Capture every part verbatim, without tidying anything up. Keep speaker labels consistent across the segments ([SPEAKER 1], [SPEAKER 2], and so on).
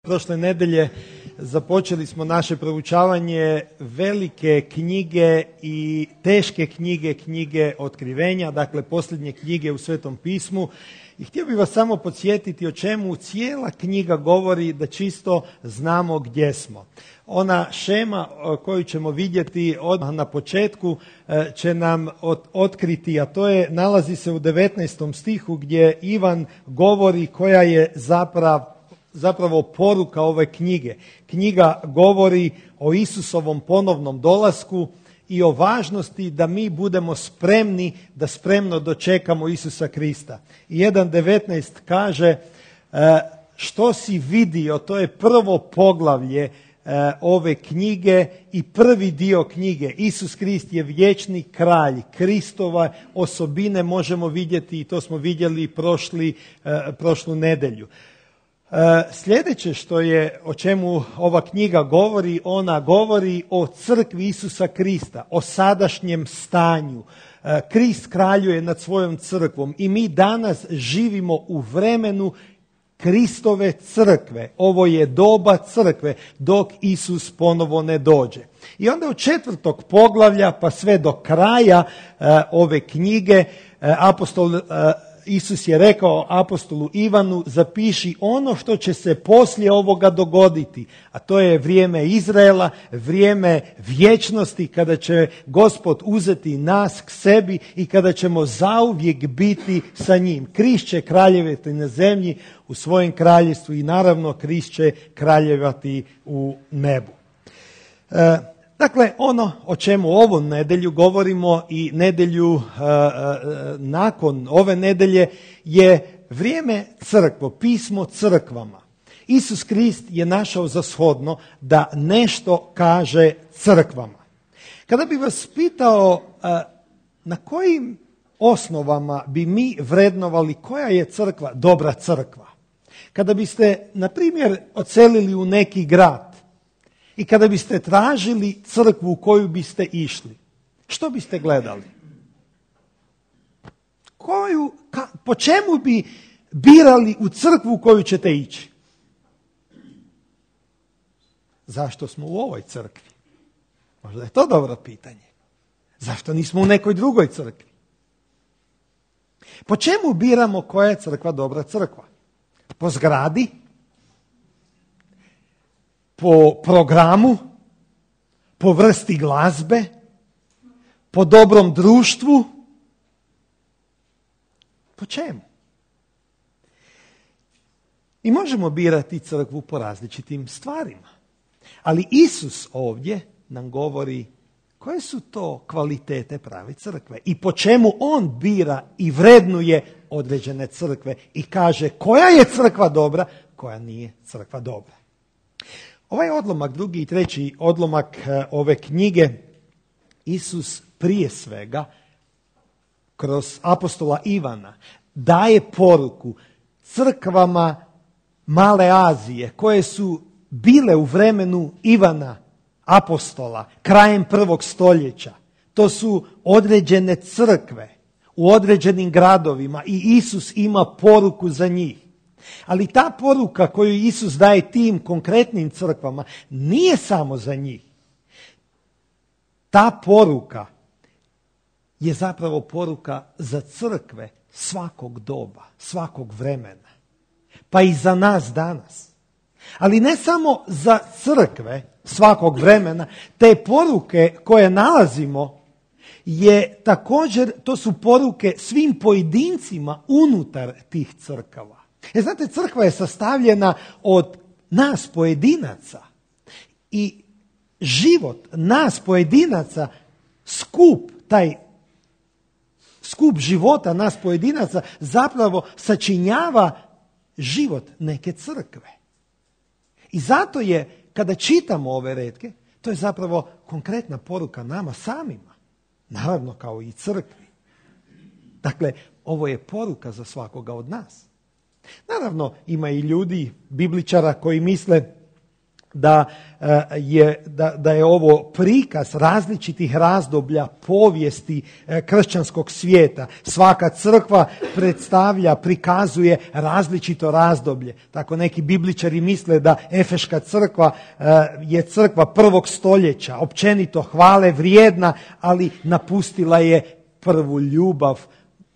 [SPEAKER 1] Prošle nedelje započeli smo naše proučavanje velike knjige i teške knjige, knjige otkrivenja, dakle posljednje knjige u Svetom pismu. I htio bih vas samo podsjetiti o čemu cijela knjiga govori, da čisto znamo gdje smo. Ona šema koju ćemo vidjeti odmah na početku će nam otkriti, a to je, nalazi se u devetnaestom stihu gdje Ivan govori koja je zapravo Zapravo poruka ove knjige. Knjiga govori o Isusovom ponovnom dolasku i o važnosti da mi budemo spremni, da spremno dočekamo Isusa Krista. I jedan devetnaest kaže, što si vidio, to je prvo poglavlje ove knjige i prvi dio knjige. Isus Krist je vječni kralj. Kristova osobine možemo vidjeti i to smo vidjeli prošli, prošlu nedjelju. Sljedeće što je, o čemu ova knjiga govori, ona govori o crkvi Isusa Krista, o sadašnjem stanju. Krist kraljuje nad svojom crkvom i mi danas živimo u vremenu Kristove crkve. Ovo je doba crkve dok Isus ponovo ne dođe. I onda od četvrtog poglavlja pa sve do kraja uh, ove knjige uh, apostol uh, Isus je rekao apostolu Ivanu, zapiši ono što će se poslije ovoga dogoditi, a to je vrijeme Izraela, vrijeme vječnosti kada će Gospod uzeti nas k sebi i kada ćemo zauvijek biti sa njim. Krist će kraljevati na zemlji u svojem kraljevstvu i naravno Krist će kraljevati u nebu. E, Dakle, ono o čemu ovu nedjelju govorimo i nedjelju uh, uh, nakon ove nedjelje je vrijeme crkvo, pismo crkvama. Isus Krist je našao za shodno da nešto kaže crkvama. Kada bi vas pitao uh, na kojim osnovama bi mi vrednovali koja je crkva dobra crkva, kada biste, na primjer, odselili u neki grad, i kada biste tražili crkvu u koju biste išli, što biste gledali? Koju, ka, po čemu bi birali u crkvu u koju ćete ići? Zašto smo u ovoj crkvi? Možda je to dobro pitanje. Zašto nismo u nekoj drugoj crkvi? Po čemu biramo koja je crkva dobra crkva? Po zgradi? Po programu, po vrsti glazbe, po dobrom društvu, po čemu? I možemo birati crkvu po različitim stvarima. Ali Isus ovdje nam govori koje su to kvalitete prave crkve i po čemu on bira i vrednuje određene crkve i kaže koja je crkva dobra, koja nije crkva dobra. Ovaj odlomak, drugi i treći odlomak ove knjige, Isus prije svega kroz apostola Ivana daje poruku crkvama Male Azije koje su bile u vremenu Ivana apostola krajem prvog stoljeća. To su određene crkve u određenim gradovima i Isus ima poruku za njih. Ali ta poruka koju Isus daje tim konkretnim crkvama nije samo za njih. Ta poruka je zapravo poruka za crkve svakog doba, svakog vremena. Pa i za nas danas. Ali ne samo za crkve svakog vremena, te poruke koje nalazimo je također, to su poruke svim pojedincima unutar tih crkava. E, znate, crkva je sastavljena od nas pojedinaca i život nas pojedinaca, skup, taj skup života nas pojedinaca zapravo sačinjava život neke crkve. I zato je, kada čitamo ove retke, to je zapravo konkretna poruka nama samima, naravno kao i crkvi. Dakle, ovo je poruka za svakoga od nas. Naravno, ima i ljudi, bibličara koji misle da je, da, da je ovo prikaz različitih razdoblja povijesti kršćanskog svijeta. Svaka crkva predstavlja, prikazuje različito razdoblje. Tako neki bibličari misle da Efeška crkva je crkva prvog stoljeća, općenito hvale vrijedna, ali napustila je prvu ljubav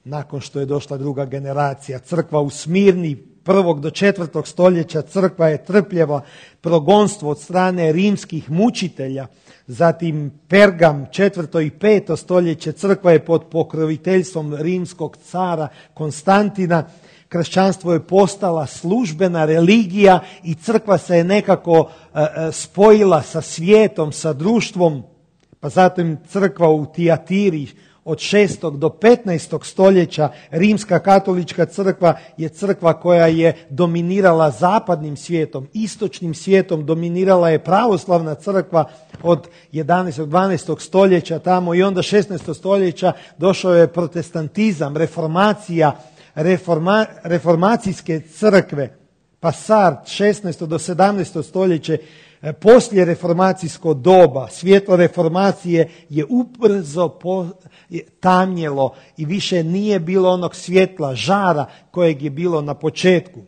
[SPEAKER 1] nakon što je došla druga generacija. Crkva u Smirni prvog do četvrtog stoljeća crkva je trpjela progonstvo od strane rimskih mučitelja, zatim Pergam četvrto i peto stoljeće crkva je pod pokroviteljstvom rimskog cara Konstantina. Kršćanstvo je postala službena religija i crkva se je nekako e, spojila sa svijetom, sa društvom, pa zatim crkva u Tijatiri od šestog do petnaestog stoljeća, rimska katolička crkva je crkva koja je dominirala zapadnim svijetom, istočnim svijetom dominirala je pravoslavna crkva od jedanaestog do dvanaestog stoljeća tamo i onda šesnaestog stoljeća došao je protestantizam, reformacija, reforma, reformacijske crkve, pa Sart šesnaesto do sedamnaesto stoljeće. Poslije reformacijsko doba, svjetlo reformacije je ubrzo po, je tamnjelo i više nije bilo onog svjetla, žara kojeg je bilo na početku.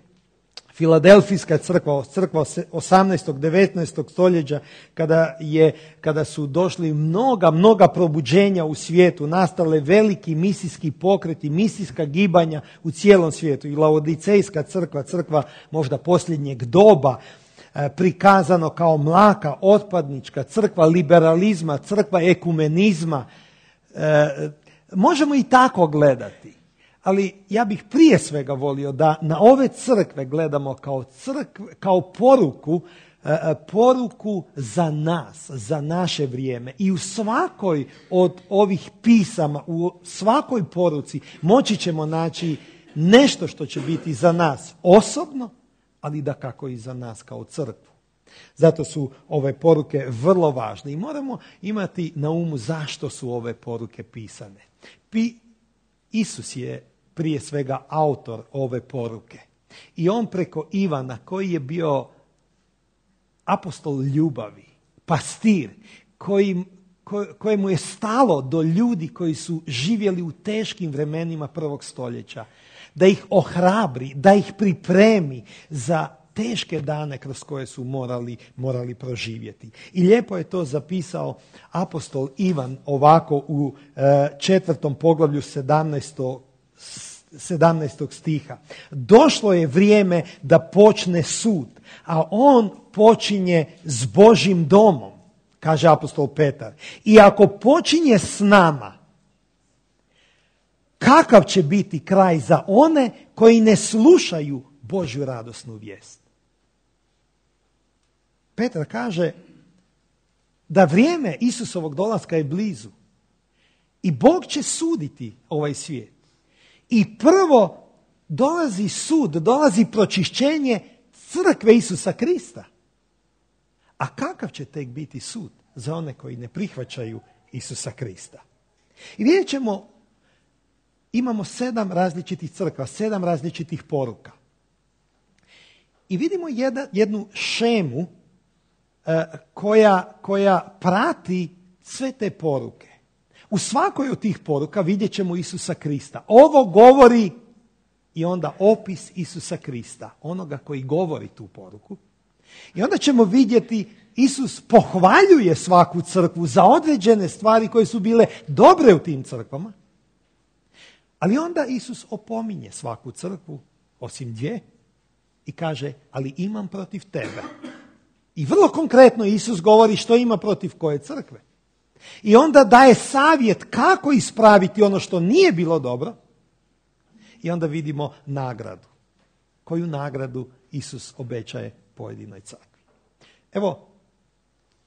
[SPEAKER 1] Filadelfijska crkva, crkva osamnaestog devetnaestog stoljeća, kada, je, kada su došli mnoga, mnoga probuđenja u svijetu, nastale veliki misijski pokreti, misijska gibanja u cijelom svijetu. I Laodicejska crkva, crkva možda posljednjeg doba, prikazano kao mlaka, otpadnička, crkva liberalizma, crkva ekumenizma. E, možemo i tako gledati, ali ja bih prije svega volio da na ove crkve gledamo kao, crkve, kao poruku, e, poruku za nas, za naše vrijeme. I u svakoj od ovih pisama, u svakoj poruci moći ćemo naći nešto što će biti za nas osobno, ali dakako i za nas kao crkvu. Zato su ove poruke vrlo važne i moramo imati na umu zašto su ove poruke pisane. Pi, Isus je prije svega autor ove poruke i on preko Ivana, koji je bio apostol ljubavi, pastir, koji, ko, kojemu je stalo do ljudi koji su živjeli u teškim vremenima prvog stoljeća, da ih ohrabri, da ih pripremi za teške dane kroz koje su morali, morali proživjeti. I lijepo je to zapisao apostol Ivan ovako u e, četvrtom poglavlju sedamnaestog sedamnaestog stiha. Došlo je vrijeme da počne sud, a on počinje s Božjim domom, kaže apostol Petar. I ako počinje s nama, kakav će biti kraj za one koji ne slušaju Božju radosnu vijest? Petar kaže da vrijeme Isusovog dolaska je blizu i Bog će suditi ovaj svijet. I prvo dolazi sud, dolazi pročišćenje crkve Isusa Krista. A kakav će tek biti sud za one koji ne prihvaćaju Isusa Krista? I vidjet ćemo, imamo sedam različitih crkva, sedam različitih poruka. I vidimo jedna, jednu šemu e, koja, koja prati sve te poruke. U svakoj od tih poruka vidjet ćemo Isusa Krista. Ovo govori i onda opis Isusa Krista, onoga koji govori tu poruku. I onda ćemo vidjeti Isus pohvaljuje svaku crkvu za određene stvari koje su bile dobre u tim crkvama. Ali onda Isus opominje svaku crkvu, osim dvije, i kaže, ali imam protiv tebe. I vrlo konkretno Isus govori što ima protiv koje crkve. I onda daje savjet kako ispraviti ono što nije bilo dobro. I onda vidimo nagradu. Koju nagradu Isus obećaje pojedinoj crkvi. Evo,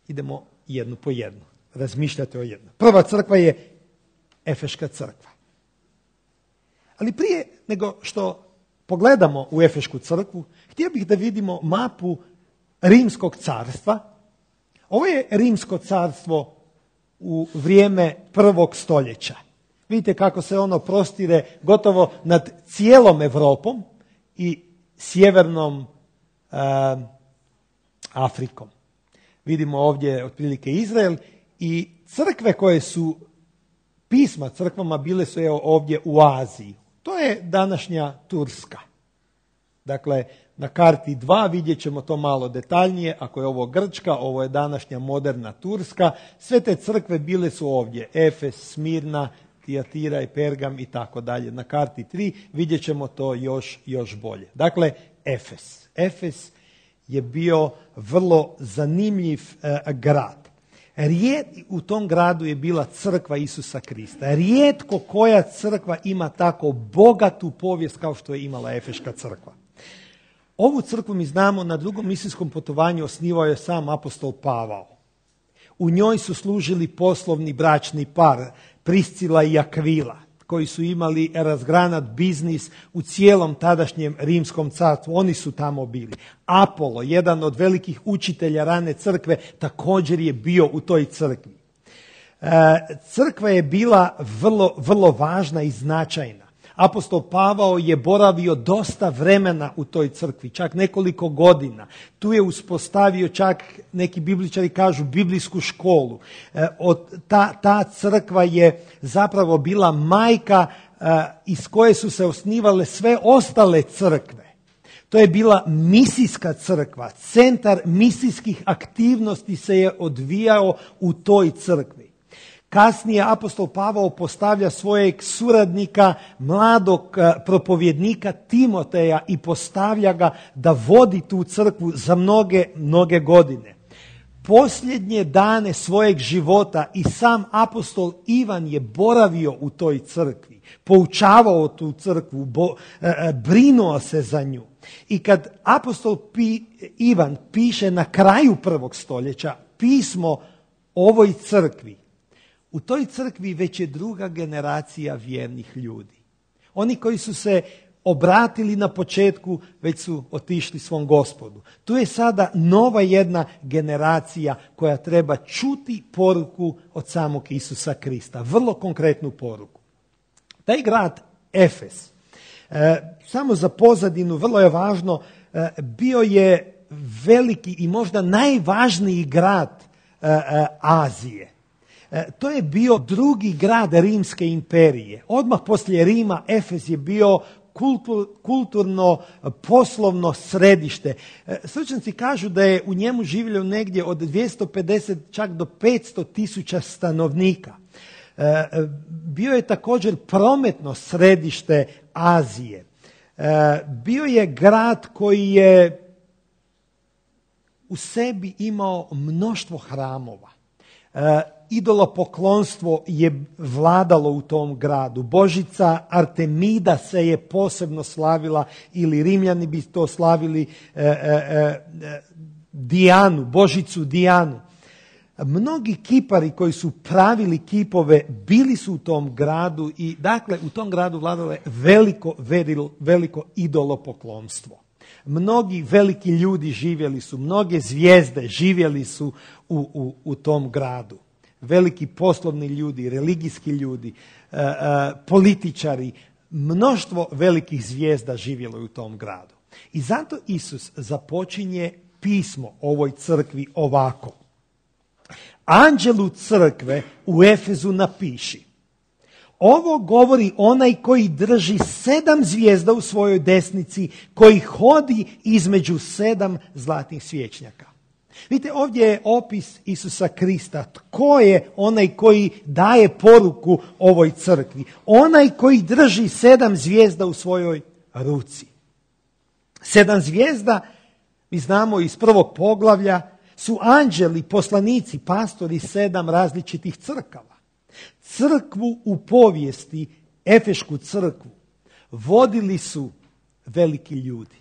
[SPEAKER 1] idemo jednu po jednu. Razmišljate o jednu. Prva crkva je Efeška crkva. Ali prije nego što pogledamo u Efešku crkvu, htio bih da vidimo mapu Rimskog carstva. Ovo je Rimsko carstvo u vrijeme prvog stoljeća. Vidite kako se ono prostire gotovo nad cijelom Europom i sjevernom uh, Afrikom. Vidimo ovdje otprilike Izrael i crkve koje su, pisma crkvama bile su evo ovdje u Aziji. To je današnja Turska. Dakle, na karti dva vidjet ćemo to malo detaljnije. Ako je ovo Grčka, ovo je današnja moderna Turska. Sve te crkve bile su ovdje. Efes, Smirna, Tijatira i Pergam i tako dalje. Na karti tri vidjet ćemo to još, još bolje. Dakle, Efes. Efes je bio vrlo zanimljiv eh, grad. Rijet, u tom gradu je bila crkva Isusa Krista. Rijetko koja crkva ima tako bogatu povijest kao što je imala Efeška crkva. Ovu crkvu mi znamo na drugom misijskom putovanju osnivao je sam apostol Pavao. U njoj su služili poslovni bračni par Priscila i Akvila, koji su imali razgranat biznis u cijelom tadašnjem rimskom carstvu. Oni su tamo bili. Apolo, jedan od velikih učitelja rane crkve, također je bio u toj crkvi. E, crkva je bila vrlo, vrlo važna i značajna. Apostol Pavao je boravio dosta vremena u toj crkvi, čak nekoliko godina. Tu je uspostavio čak, neki bibličari kažu, biblijsku školu. E, od, ta, ta crkva je zapravo bila majka e, iz koje su se osnivale sve ostale crkve. To je bila misijska crkva. Centar misijskih aktivnosti se je odvijao u toj crkvi. Kasnije apostol Pavao postavlja svojeg suradnika, mladog propovjednika Timoteja i postavlja ga da vodi tu crkvu za mnoge, mnoge godine. Posljednje dane svojeg života i sam apostol Ivan je boravio u toj crkvi, poučavao tu crkvu, bo, brinuo se za nju. I kad apostol Pi, Ivan piše na kraju prvog stoljeća pismo ovoj crkvi, u toj crkvi već je druga generacija vjernih ljudi. Oni koji su se obratili na početku, već su otišli svom Gospodu. Tu je sada nova jedna generacija koja treba čuti poruku od samog Isusa Krista. Vrlo konkretnu poruku. Taj grad Efes, e, samo za pozadinu, vrlo je važno, e, bio je veliki i možda najvažniji grad e, e, Azije. To je bio drugi grad Rimske imperije. Odmah poslije Rima Efes je bio kultur, kulturno poslovno središte. Stručnjaci kažu da je u njemu živjelo negdje od dvjesto pedeset čak do petsto tisuća stanovnika. Bio je također prometno središte Azije. Bio je grad koji je u sebi imao mnoštvo hramova. Idolopoklonstvo je vladalo u tom gradu. Božica Artemida se je posebno slavila, ili Rimljani bi to slavili e, e, e, Dijanu, Božicu Dijanu. Mnogi kipari koji su pravili kipove bili su u tom gradu i dakle u tom gradu vladalo je veliko, veliko idolopoklonstvo. Mnogi veliki ljudi živjeli su, mnoge zvijezde živjeli su u, u, u tom gradu. Veliki poslovni ljudi, religijski ljudi, e, e, političari, mnoštvo velikih zvijezda živjelo je u tom gradu. I zato Isus započinje pismo ovoj crkvi ovako. Anđelu crkve u Efezu napiši: ovo govori onaj koji drži sedam zvijezda u svojoj desnici, koji hodi između sedam zlatnih svječnjaka. Vidite, ovdje je opis Isusa Krista. Tko je onaj koji daje poruku ovoj crkvi? Onaj koji drži sedam zvijezda u svojoj ruci. Sedam zvijezda, mi znamo iz prvog poglavlja, su anđeli, poslanici, pastori sedam različitih crkava. Crkvu u povijesti, Efešku crkvu, vodili su veliki ljudi.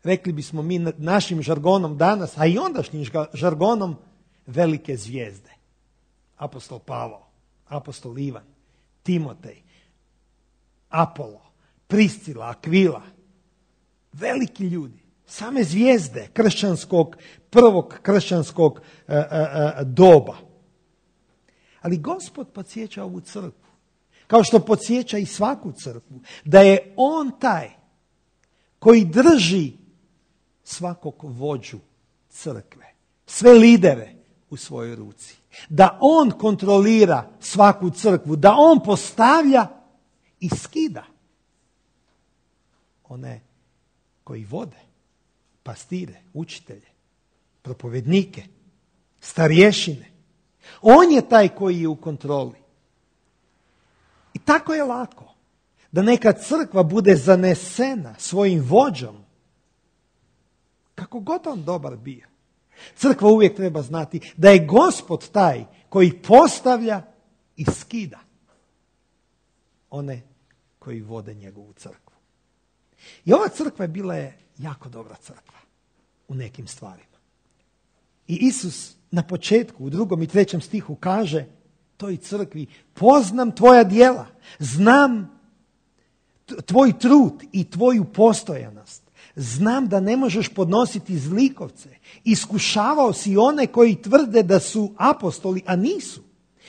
[SPEAKER 1] Rekli bismo mi našim žargonom danas, a i ondašnjim žargonom, velike zvijezde. Apostol Pavao, apostol Ivan, Timotej, Apolo, Priscila, Akvila. Veliki ljudi, same zvijezde kršćanskog, prvog kršćanskog e, e, doba. Ali Gospod podsjeća ovu crkvu, kao što podsjeća i svaku crkvu, da je On taj koji drži svakog vođu crkve, sve lidere u svojoj ruci. Da on kontrolira svaku crkvu, da on postavlja i skida one koji vode, pastire, učitelje, propovednike, starješine. On je taj koji je u kontroli. I tako je lako da neka crkva bude zanesena svojim vođom, kako god on dobar bio. Crkva uvijek treba znati da je Gospod taj koji postavlja i skida one koji vode njegovu crkvu. I ova crkva je bila je jako dobra crkva u nekim stvarima. I Isus na početku, u drugom i trećem stihu kaže toj crkvi: poznam tvoja djela, znam tvoj trud i tvoju postojanost. Znam da ne možeš podnositi zlikovce. Iskušavao si one koji tvrde da su apostoli, a nisu.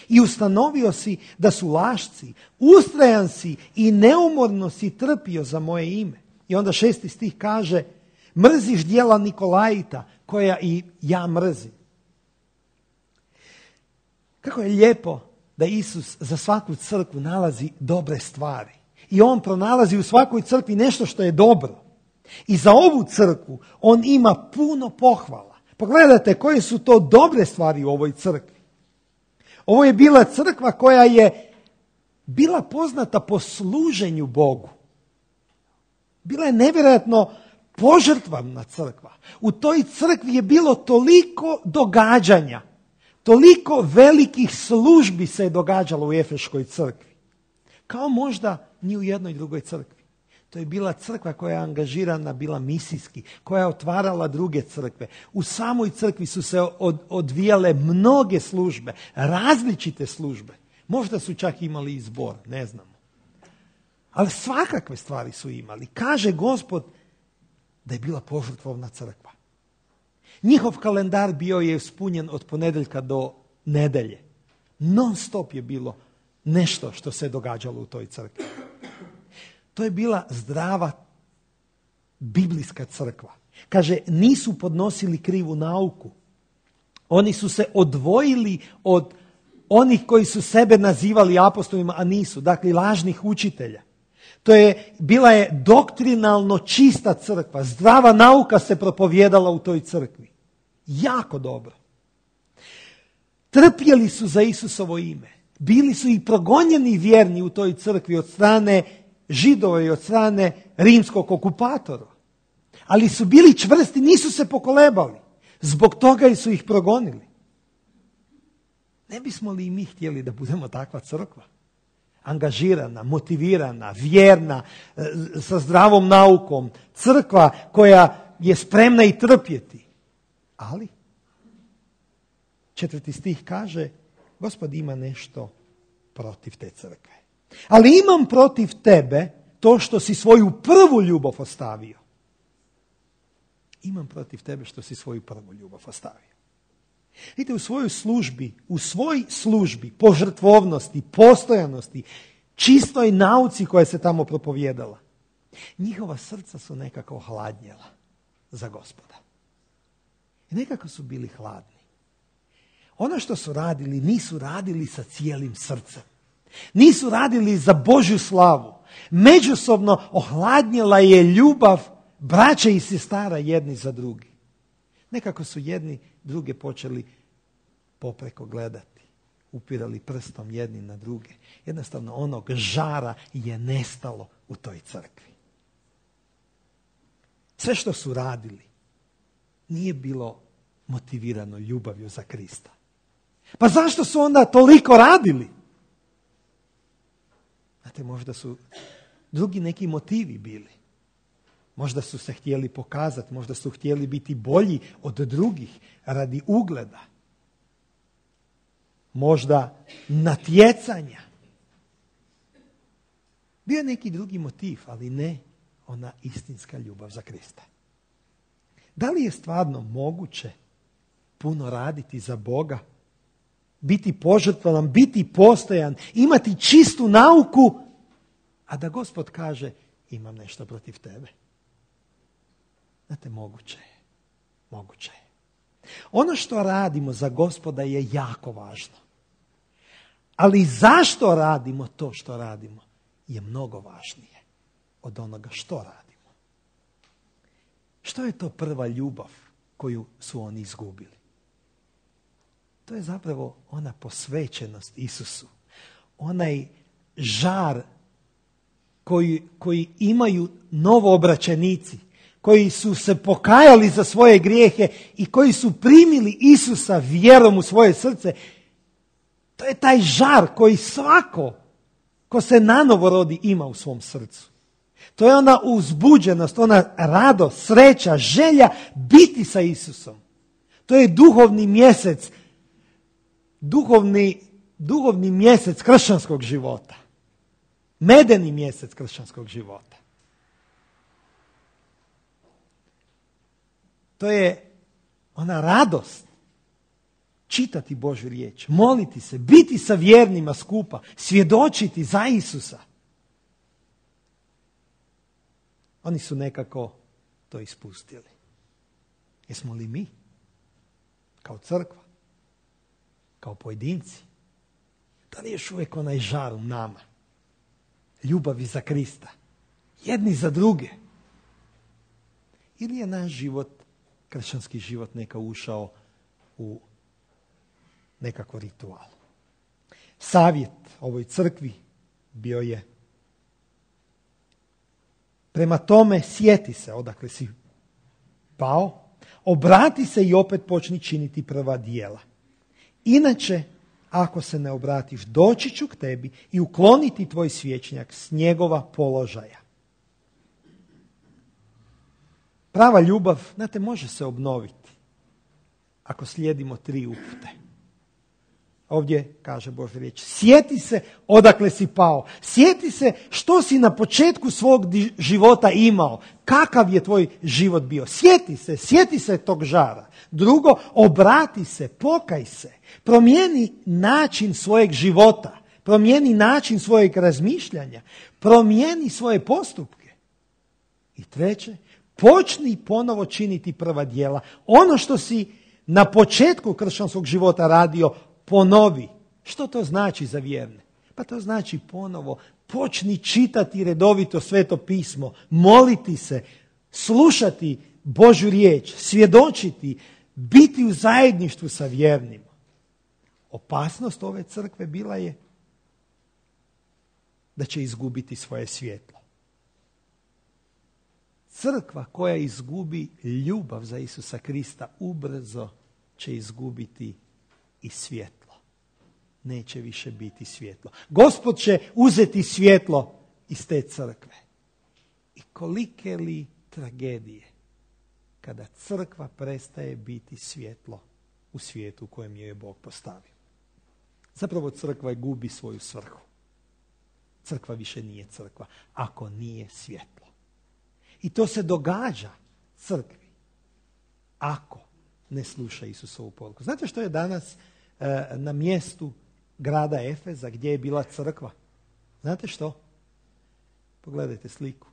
[SPEAKER 1] I ustanovio si da su lašci. Ustrajan si i neumorno si trpio za moje ime. I onda šesti stih kaže: mrziš djela Nikolajita, koja i ja mrzim. Kako je lijepo da Isus za svaku crkvu nalazi dobre stvari. I on pronalazi u svakoj crkvi nešto što je dobro. I za ovu crkvu on ima puno pohvala. Pogledajte koje su to dobre stvari u ovoj crkvi. Ovo je bila crkva koja je bila poznata po služenju Bogu. Bila je nevjerojatno požrtvovna crkva. U toj crkvi je bilo toliko događanja, toliko velikih službi se je događalo u Efeškoj crkvi. Kao možda ni u jednoj drugoj crkvi. To je bila crkva koja je angažirana, bila misijski, koja je otvarala druge crkve. U samoj crkvi su se od, odvijale mnoge službe, različite službe. Možda su čak imali i zbor, ne znamo. Ali svakakve stvari su imali. Kaže Gospod da je bila požrtvovna crkva. Njihov kalendar bio je ispunjen od ponedjeljka do nedelje. Non stop je bilo nešto što se događalo u toj crkvi. To je bila zdrava biblijska crkva. Kaže, nisu podnosili krivu nauku. Oni su se odvojili od onih koji su sebe nazivali apostolima, a nisu. Dakle, lažnih učitelja. To je, bila je doktrinalno čista crkva. Zdrava nauka se propovjedala u toj crkvi. Jako dobro. Trpjeli su za Isusovo ime. Bili su i progonjeni vjerni u toj crkvi od strane Židova i od strane rimskog okupatora. Ali su bili čvrsti, nisu se pokolebali. Zbog toga su ih progonili. Ne bismo li i mi htjeli da budemo takva crkva? Angažirana, motivirana, vjerna, sa zdravom naukom. Crkva koja je spremna i trpjeti. Ali, četvrti stih kaže, Gospod ima nešto protiv te crkve. Ali imam protiv tebe to što si svoju prvu ljubav ostavio. Imam protiv tebe što si svoju prvu ljubav ostavio. Vidite, u svojoj službi, u svoj službi, požrtvovnosti, postojanosti, čistoj nauci koja se tamo propovjedala, njihova srca su nekako hladnjela za Gospoda. I nekako su bili hladni. Ono što su radili, nisu radili sa cijelim srcem. Nisu radili za Božju slavu. Međusobno ohladnjela je ljubav braće i sestara jedni za drugi. Nekako su jedni druge počeli popreko gledati. Upirali prstom jedni na druge. Jednostavno onog žara je nestalo u toj crkvi. Sve što su radili nije bilo motivirano ljubavlju za Krista. Pa zašto su onda toliko radili? Znate, možda su drugi neki motivi bili. Možda su se htjeli pokazati, možda su htjeli biti bolji od drugih radi ugleda. Možda natjecanja. Bio je neki drugi motiv, ali ne ona istinska ljubav za Krista. Da li je stvarno moguće puno raditi za Boga? Biti požrtvovan, biti postojan, imati čistu nauku, a da Gospod kaže, imam nešto protiv tebe. Znate, moguće je. Moguće je. Ono što radimo za Gospoda je jako važno. Ali zašto radimo to što radimo je mnogo važnije od onoga što radimo. Što je to prva ljubav koju su oni izgubili? To je zapravo ona posvećenost Isusu. Onaj žar koji, koji imaju novoobraćenici, koji su se pokajali za svoje grijehe i koji su primili Isusa vjerom u svoje srce. To je taj žar koji svako ko se nanovo rodi ima u svom srcu. To je ona uzbuđenost, ona radost, sreća, želja biti sa Isusom. To je duhovni mjesec, duhovni, duhovni mjesec kršćanskog života. Medeni mjesec kršćanskog života. To je ona radost čitati Božju riječ, moliti se, biti sa vjernima skupa, svjedočiti za Isusa. Oni su nekako to ispustili. Jesmo li mi, kao crkva, kao pojedinci, da li je još uvijek onaj žar u nama, ljubavi za Krista, jedni za druge? Ili je naš život, kršćanski život, neka ušao u nekako ritual? Savjet ovoj crkvi bio je: prema tome sjeti se odakle si pao, obrati se i opet počni činiti prva djela. Inače, ako se ne obratiš, doći ću k tebi i ukloniti tvoj svječnjak s njegova položaja. Prava ljubav, znate, može se obnoviti ako slijedimo tri upute. Ovdje kaže Božja riječ: sjeti se odakle si pao. Sjeti se što si na početku svog života imao. Kakav je tvoj život bio. Sjeti se, sjeti se tog žara. Drugo, obrati se, pokaj se. Promijeni način svojeg života. Promijeni način svojeg razmišljanja. Promijeni svoje postupke. I treće, počni ponovo činiti prva djela. Ono što si na početku kršćanskog života radio, ponovi. Što to znači za vjerne? Pa to znači ponovo počni čitati redovito Sveto pismo, moliti se, slušati Božju riječ, svjedočiti, biti u zajedništvu sa vjernima. Opasnost ove crkve bila je da će izgubiti svoje svjetlo. Crkva koja izgubi ljubav za Isusa Krista ubrzo će izgubiti i svjetlo. Neće više biti svjetlo. Gospod će uzeti svjetlo iz te crkve. I kolike li tragedije kada crkva prestaje biti svjetlo u svijetu u kojem je Bog postavio. Zapravo crkva gubi svoju svrhu. Crkva više nije crkva ako nije svjetlo. I to se događa crkvi ako ne sluša Isusovu poruku. Znate što je danas e, na mjestu grada Efeza gdje je bila crkva? Znate što? Pogledajte sliku.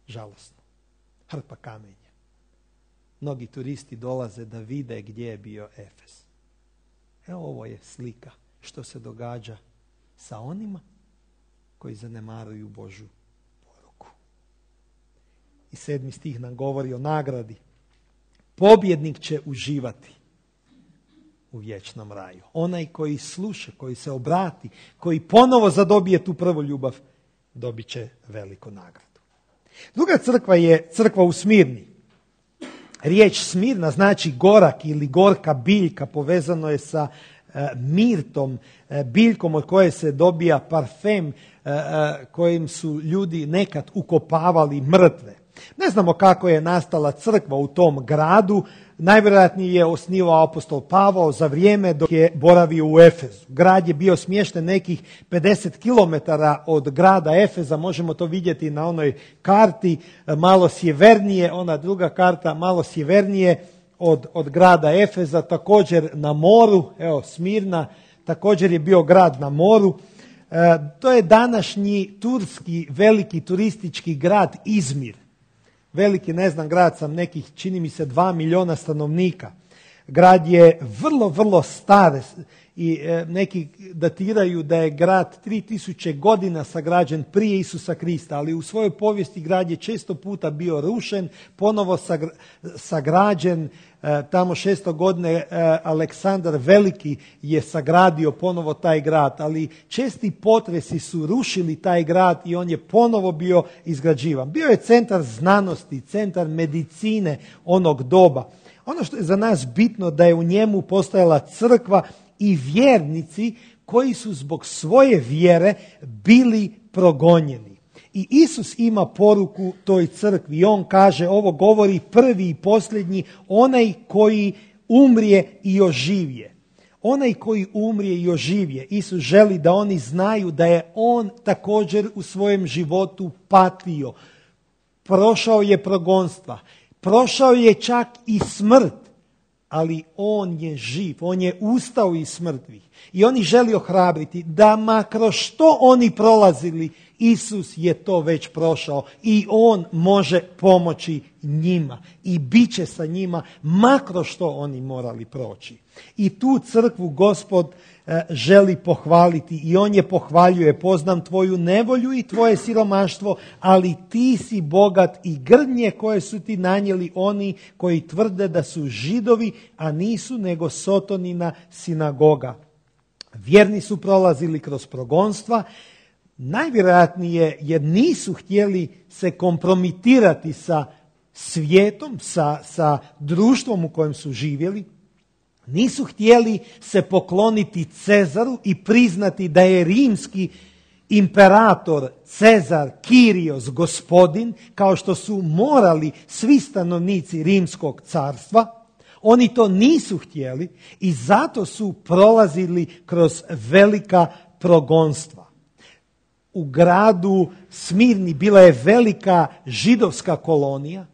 [SPEAKER 1] Žalosno. Hrpa kamenja. Mnogi turisti dolaze da vide gdje je bio Efez. Evo, ovo je slika što se događa sa onima koji zanemaruju Božju poruku. I sedmi stih nam govori o nagradi. Pobjednik će uživati u vječnom raju. Onaj koji sluša, koji se obrati, koji ponovo zadobije tu prvu ljubav, dobit će veliku nagradu. Druga crkva je crkva u Smirni. Riječ Smirna znači gorak ili gorka biljka, povezano je sa e, mirtom, e, biljkom od koje se dobija parfem, e, e, kojim su ljudi nekad ukopavali mrtve. Ne znamo kako je nastala crkva u tom gradu. Najvjerojatnije je osnivao apostol Pavao za vrijeme dok je boravio u Efezu. Grad je bio smješten nekih pedeset kilometara od grada Efeza. Možemo to vidjeti na onoj karti malo sjevernije, ona druga karta malo sjevernije od, od grada Efeza, također na moru. Evo, Smirna također je bio grad na moru. E, to je današnji turski veliki turistički grad Izmir. veliki, ne znam, grad sam nekih, čini mi se, dva milijuna stanovnika. Grad je vrlo, vrlo star i e, neki datiraju da je grad tri tisuće godina sagrađen prije Isusa Krista, ali u svojoj povijesti grad je često puta bio rušen, ponovo sagrađen. E, tamo šesto godine e, Aleksandar Veliki je sagradio ponovo taj grad, ali česti potresi su rušili taj grad i on je ponovo bio izgrađivan. Bio je centar znanosti, centar medicine onog doba. Ono što je za nas bitno da je u njemu postojala crkva i vjernici koji su zbog svoje vjere bili progonjeni. I Isus ima poruku toj crkvi i on kaže, ovo govori prvi i posljednji, onaj koji umrije i oživje. Onaj koji umrije i oživje. Isus želi da oni znaju da je on također u svojem životu patio. Prošao je progonstva. Prošao je čak i smrt, ali on je živ, on je ustao iz mrtvih. I on ih želi ohrabriti da makro što oni prolazili, Isus je to već prošao i on može pomoći njima i bit će sa njima makro što oni morali proći. I tu crkvu Gospod e, želi pohvaliti i on je pohvaljuje, poznam tvoju nevolju i tvoje siromaštvo, ali ti si bogat i grdnje koje su ti nanijeli oni koji tvrde da su Židovi, a nisu nego Sotonina sinagoga. Vjerni su prolazili kroz progonstva, najvjerojatnije jer nisu htjeli se kompromitirati sa svijetom, sa, sa društvom u kojem su živjeli. Nisu htjeli se pokloniti Cezaru i priznati da je rimski imperator Cezar Kirios gospodin, kao što su morali svi stanovnici rimskog carstva. Oni to nisu htjeli i zato su prolazili kroz velika progonstva. U gradu Smirni bila je velika židovska kolonija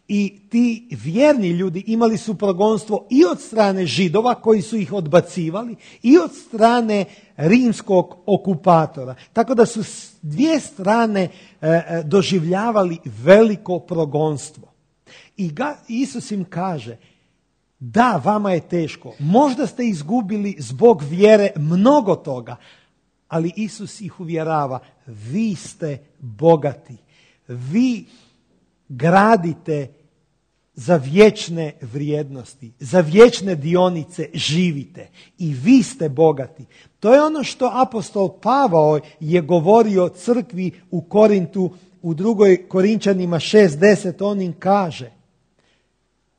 [SPEAKER 1] i ti vjerni ljudi imali su progonstvo i od strane Židova koji su ih odbacivali i od strane rimskog okupatora. Tako da su s dvije strane e, doživljavali veliko progonstvo. I ga, Isus im kaže, da, vama je teško, možda ste izgubili zbog vjere mnogo toga, ali Isus ih uvjerava, vi ste bogati, vi gradite za vječne vrijednosti, za vječne dionice živite i vi ste bogati. To je ono što apostol Pavao je govorio crkvi u Korintu, u drugoj Korinčanima šest deset, on im kaže,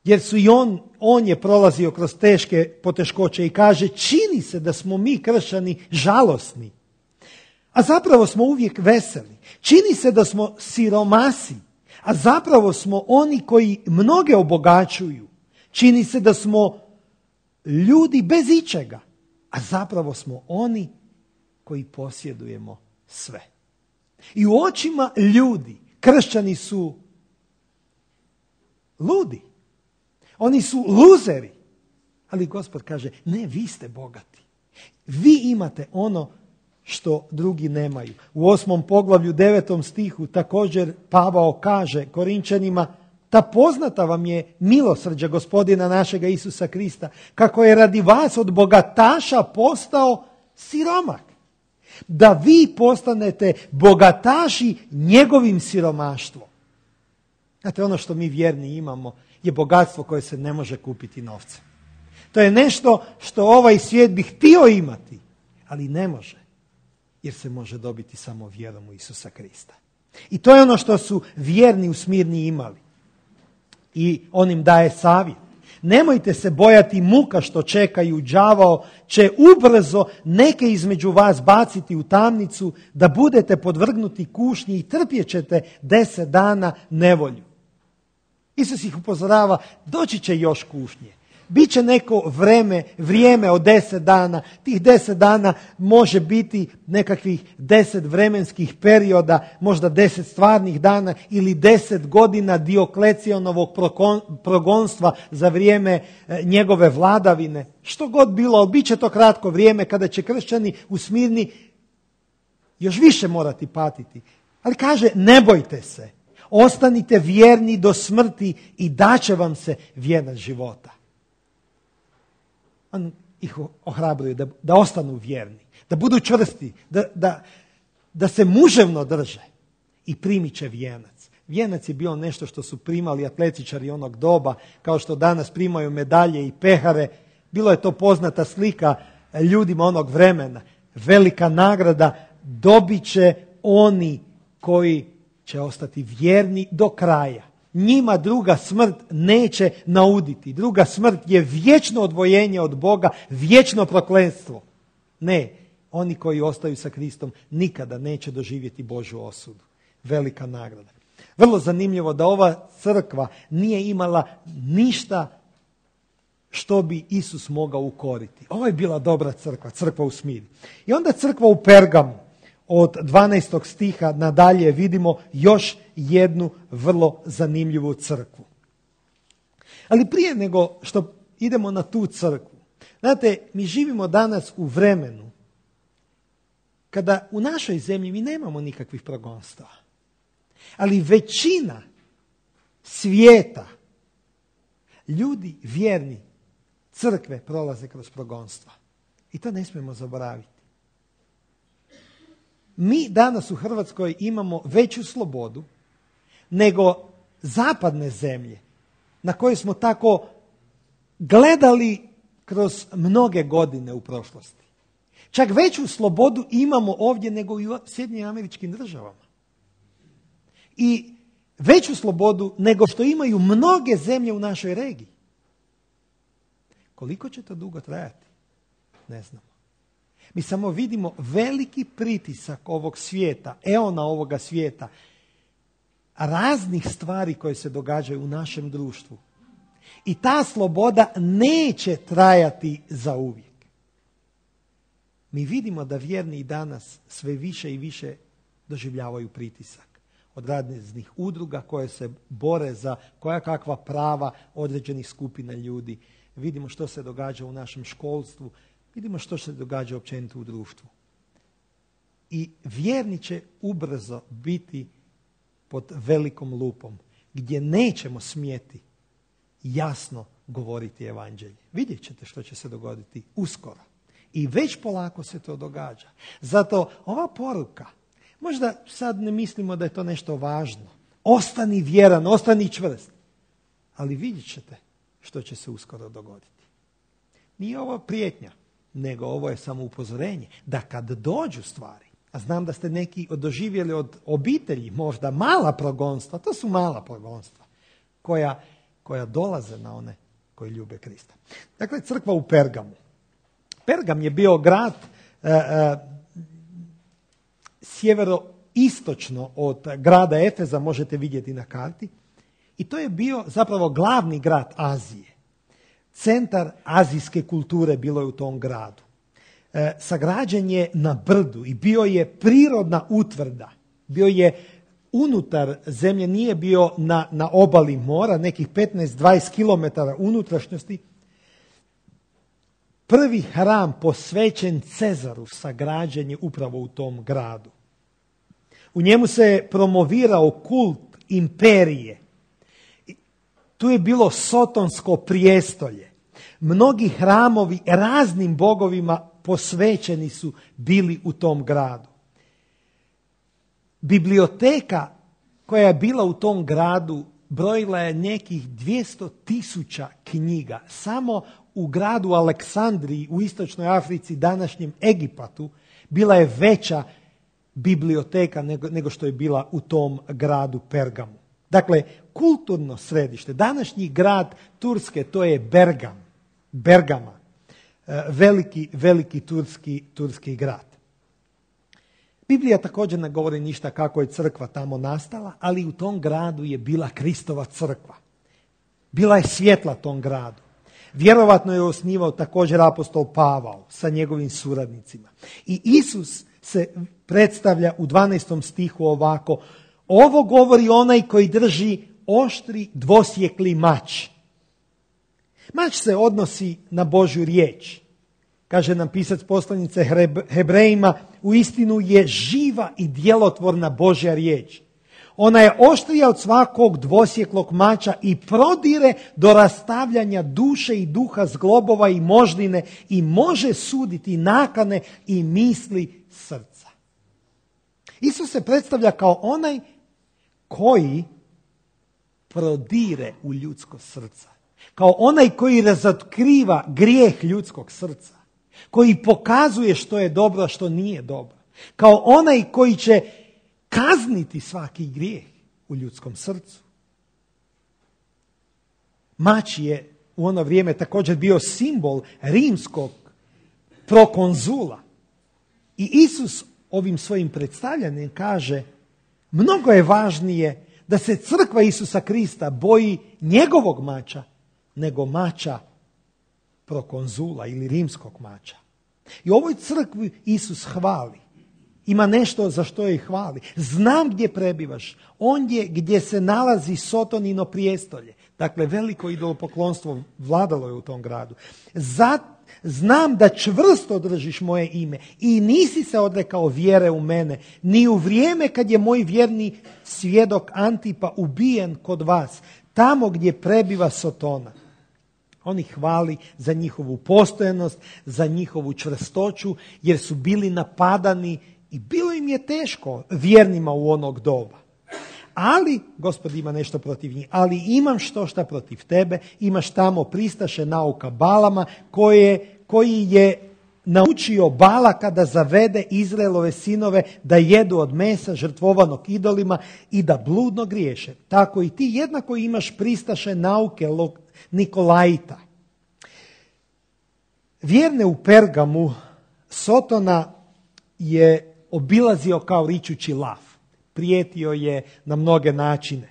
[SPEAKER 1] jer su i on, on je prolazio kroz teške poteškoće i kaže, čini se da smo mi kršćani žalosni, a zapravo smo uvijek veseli. Čini se da smo siromasi, a zapravo smo oni koji mnoge obogaćuju. Čini se da smo ljudi bez ičega, a zapravo smo oni koji posjedujemo sve. I u očima ljudi kršćani su ludi. Oni su luzeri. Ali Gospod kaže, ne, vi ste bogati. Vi imate ono što drugi nemaju. U osmom poglavlju, devetom stihu, također Pavao kaže Korinčanima, ta poznata vam je milosrđa Gospodina našega Isusa Krista, kako je radi vas od bogataša postao siromak. Da vi postanete bogataši njegovim siromaštvom. Znate, ono što mi vjerni imamo je bogatstvo koje se ne može kupiti novcem. To je nešto što ovaj svijet bi htio imati, ali ne može. Jer se može dobiti samo vjerom u Isusa Krista. I to je ono što su vjerni u Smirni imali. I on im daje savjet. Nemojte se bojati muka što čekaju, đavao će ubrzo neke između vas baciti u tamnicu, da budete podvrgnuti kušnji i trpjet ćete deset dana nevolju. Isus ih upozorava, doći će još kušnje. Biće neko vreme, vrijeme od deset dana. Tih deset dana može biti nekakvih deset vremenskih perioda, možda deset stvarnih dana ili deset godina Dioklecijanovog progonstva za vrijeme njegove vladavine. Što god bilo, ali bit će to kratko vrijeme kada će kršćani u Smirni još više morati patiti. Ali kaže, ne bojte se. Ostanite vjerni do smrti i daće vam se vjernost života. On ih ohrabruje da, da ostanu vjerni, da budu čvrsti, da, da, da se muževno drže i primit će vijenac. Vijenac je bio nešto što su primali atletičari onog doba, kao što danas primaju medalje i pehare. Bilo je to poznata slika ljudima onog vremena. Velika nagrada dobit će oni koji će ostati vjerni do kraja. Njima druga smrt neće nauditi. Druga smrt je vječno odvojenje od Boga, vječno prokletstvo. Ne, oni koji ostaju sa Kristom nikada neće doživjeti Božju osudu. Velika nagrada. Vrlo zanimljivo da ova crkva nije imala ništa što bi Isus mogao ukoriti. Ovo je bila dobra crkva, crkva u Smiri. I onda crkva u Pergamu. Od dvanaestog stiha nadalje vidimo još jednu vrlo zanimljivu crkvu. Ali prije nego što idemo na tu crkvu, znate, mi živimo danas u vremenu kada u našoj zemlji mi nemamo nikakvih progonstava. Ali većina svijeta, ljudi vjerni, crkve prolaze kroz progonstva. I to ne smijemo zaboraviti. Mi danas u Hrvatskoj imamo veću slobodu nego zapadne zemlje na koje smo tako gledali kroz mnoge godine u prošlosti. Čak veću slobodu imamo ovdje nego i u Sjedinjenim Američkim Državama. I veću slobodu nego što imaju mnoge zemlje u našoj regiji. Koliko će to dugo trajati? Ne znamo. Mi samo vidimo veliki pritisak ovog svijeta, eona ovoga svijeta, raznih stvari koje se događaju u našem društvu. I ta sloboda neće trajati zauvijek. Mi vidimo da vjerni danas sve više i više doživljavaju pritisak od raznih udruga koje se bore za koja kakva prava određenih skupina ljudi. Vidimo što se događa u našem školstvu, vidimo što se događa općenito u društvu. I vjerni će ubrzo biti pod velikom lupom, gdje nećemo smjeti jasno govoriti evanđelje. Vidjet ćete što će se dogoditi uskoro. I već polako se to događa. Zato ova poruka, možda sad ne mislimo da je to nešto važno. Ostani vjeran, ostani čvrst. Ali vidjet ćete što će se uskoro dogoditi. Nije ovo prijetnja, nego ovo je samo upozorenje da kad dođu stvari, a znam da ste neki doživjeli od obitelji možda mala progonstva, to su mala progonstva koja, koja dolaze na one koji ljube Krista. Dakle, crkva u Pergamu. Pergam je bio grad e, e, sjeveroistočno od grada Efeza, možete vidjeti na karti. I to je bio zapravo glavni grad Azije. Centar azijske kulture bilo je u tom gradu. E, sagrađen je na brdu i bio je prirodna utvrda. Bio je unutar zemlje, nije bio na, na obali mora, nekih petnaest do dvadeset kilometara unutrašnjosti. Prvi hram posvećen Cezaru sagrađen je upravo u tom gradu. U njemu se promovirao kult imperije. Tu je bilo sotonsko prijestolje. Mnogi hramovi raznim bogovima posvećeni su bili u tom gradu. Biblioteka koja je bila u tom gradu brojila je nekih dvjesto tisuća knjiga. Samo u gradu Aleksandriji u istočnoj Africi, današnjem Egipatu, bila je veća biblioteka nego, nego što je bila u tom gradu Pergamu. Dakle, kulturno središte, današnji grad Turske, to je Bergam, Bergama, veliki, veliki turski, turski grad. Biblija također ne govori ništa kako je crkva tamo nastala, ali u tom gradu je bila Kristova crkva. Bila je svjetla tom gradu. Vjerovatno je osnivao također apostol Pavao sa njegovim suradnicima. I Isus se predstavlja u dvanaestom stihu ovako: ovo govori onaj koji drži oštri dvosjekli mač. Mač se odnosi na Božju riječ. Kaže nam pisac poslanice Hebrejima, uistinu je živa i djelotvorna Božja riječ. Ona je oštrija od svakog dvosjeklog mača i prodire do rastavljanja duše i duha, zglobova i moždine i može suditi nakane i misli srca. Isus se predstavlja kao onaj koji prodire u ljudsko srce. Kao onaj koji razotkriva grijeh ljudskog srca. Koji pokazuje što je dobro, a što nije dobro. Kao onaj koji će kazniti svaki grijeh u ljudskom srcu. Mač je u ono vrijeme također bio simbol rimskog prokonzula. I Isus ovim svojim predstavljanjem kaže, mnogo je važnije da se crkva Isusa Krista boji njegovog mača nego mača prokonzula ili rimskog mača. I u ovoj crkvi Isus hvali. Ima nešto za što je hvali. Znam gdje prebivaš. Ondje gdje se nalazi Sotonino prijestolje. Dakle, veliko idolopoklonstvo vladalo je u tom gradu. Zat, znam da čvrsto držiš moje ime i nisi se odrekao vjere u mene, ni u vrijeme kad je moj vjerni svjedok Antipa ubijen kod vas, tamo gdje prebiva Sotona. On ih hvali za njihovu postojanost, za njihovu čvrstoću, jer su bili napadani i bilo im je teško vjernima u onog doba. Ali, Gospod ima nešto protiv njih, ali imam što šta protiv tebe, imaš tamo pristaše nauka Balama, koje, koji je naučio Balaka da zavede Izraelove sinove da jedu od mesa žrtvovanog idolima i da bludno griješe. Tako i ti jednako imaš pristaše nauke Nikolaita. Vjerne u Pergamu Sotona je obilazio kao ričući lav. Prijetio je na mnoge načine.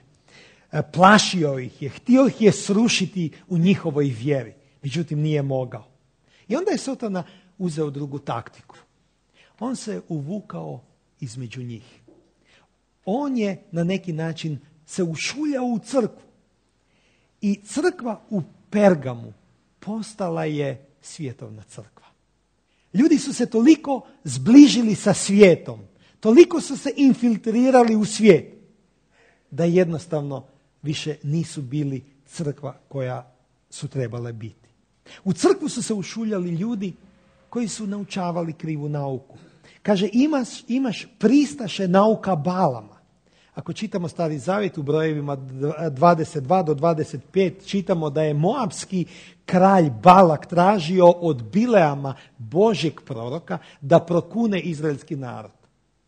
[SPEAKER 1] Plašio ih je, htio ih je srušiti u njihovoj vjeri. Međutim, nije mogao. I onda je Sotona uzeo drugu taktiku. On se uvukao između njih. On je na neki način se ušuljao u crkvu. I crkva u Pergamu postala je svjetovna crkva. Ljudi su se toliko zbližili sa svijetom, toliko su se infiltrirali u svijet, da jednostavno više nisu bili crkva koja su trebale biti. U crkvu su se ušuljali ljudi koji su naučavali krivu nauku. Kaže, imaš, imaš pristaše nauka Balama. Ako čitamo Stari Zavjet u brojevima dvadeset dva do dvadeset pet, čitamo da je moabski kralj Balak tražio od Bileama, Božjeg proroka, da prokune izraelski narod.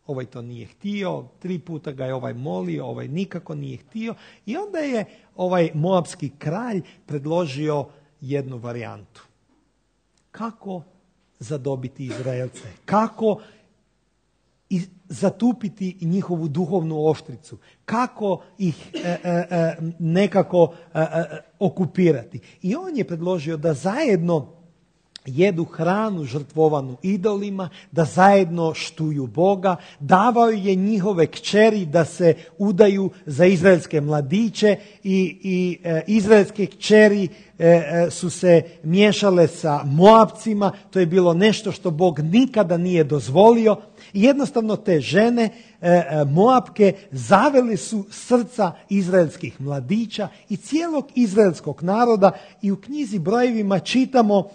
[SPEAKER 1] Ovaj to nije htio, tri puta ga je ovaj molio, ovaj nikako nije htio. I onda je ovaj moabski kralj predložio jednu varijantu. Kako zadobiti Izraelce? Kako i zatupiti njihovu duhovnu oštricu? Kako ih e, e, e, nekako e, e, okupirati? I on je predložio da zajedno jedu hranu žrtvovanu idolima, da zajedno štuju Boga, davao je njihove kćeri da se udaju za izraelske mladiće i, i e, izraelske kćeri e, e, su se miješale sa Moabcima. To je bilo nešto što Bog nikada nije dozvolio. I jednostavno te žene, e, e, Moabke, zavele su srca izraelskih mladića i cijelog izraelskog naroda. I u knjizi Brojevima čitamo,